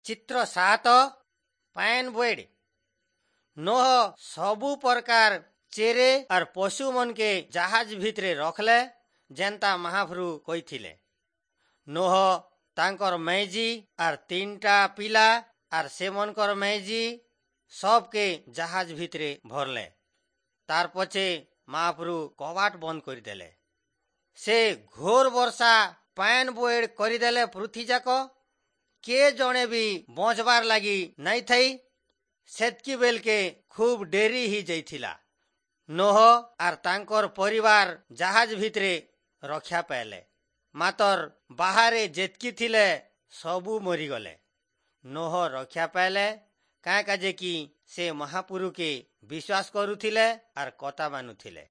ଚିତ୍ର 7, ପାଏନ୍ ବୋଏଡ୍। ନୋହ ସବୁ ପ୍ରକାର ଚେରେ ଆର୍ ପଶୁ ମନକେ ଜାହାଜ ଭିତରେ ରଖଲେ, ଯେନ୍ତା ମହାପ୍ରଭୁ କହିଥିଲେ। ନୋହ, ତାଙ୍କର ମେଜି ଆର୍ ତିନଟା ପିଲା ଆର୍ ସେମନଙ୍କର ମେଜି ସବକେ ଜାହାଜ ଭିତରେ ଭରଲେ। ତାର ପଛେ ମହାପ୍ରଭୁ କବାଟ ବନ୍ଦ କରିଦେଲେ। ସେ ଘୋର ବର୍ଷା, ପାଏନ୍ ବୋଏଡ୍ କରିଦେଲେ। ପୃଥ୍ୱୀ ଯାକ କେ ଜଣେ ବି ବଞ୍ଚବାର ଲାଗି ନାଇଁ ଥାଇ। ସେତ୍କି ବେଲକେ ଖୁବ ଡେରି ହେଇଯାଇଥିଲା। ନୋହ ଆର୍ ତାଙ୍କର ପରିବାର ଜାହାଜ ଭିତରେ ରକ୍ଷା ପାଇଲେ, ମାତର ବାହାରେ ଯେତ୍କି ଥିଲେ ସବୁ ମରିଗଲେ। ନୋହ ରକ୍ଷା ପାଇଲେ, କାଁ କାଜେ କି ସେ ମହାପୁରୁକେ ବିଶ୍ୱାସ କରୁଥିଲେ ଆର୍ କଥା ମାନୁଥିଲେ।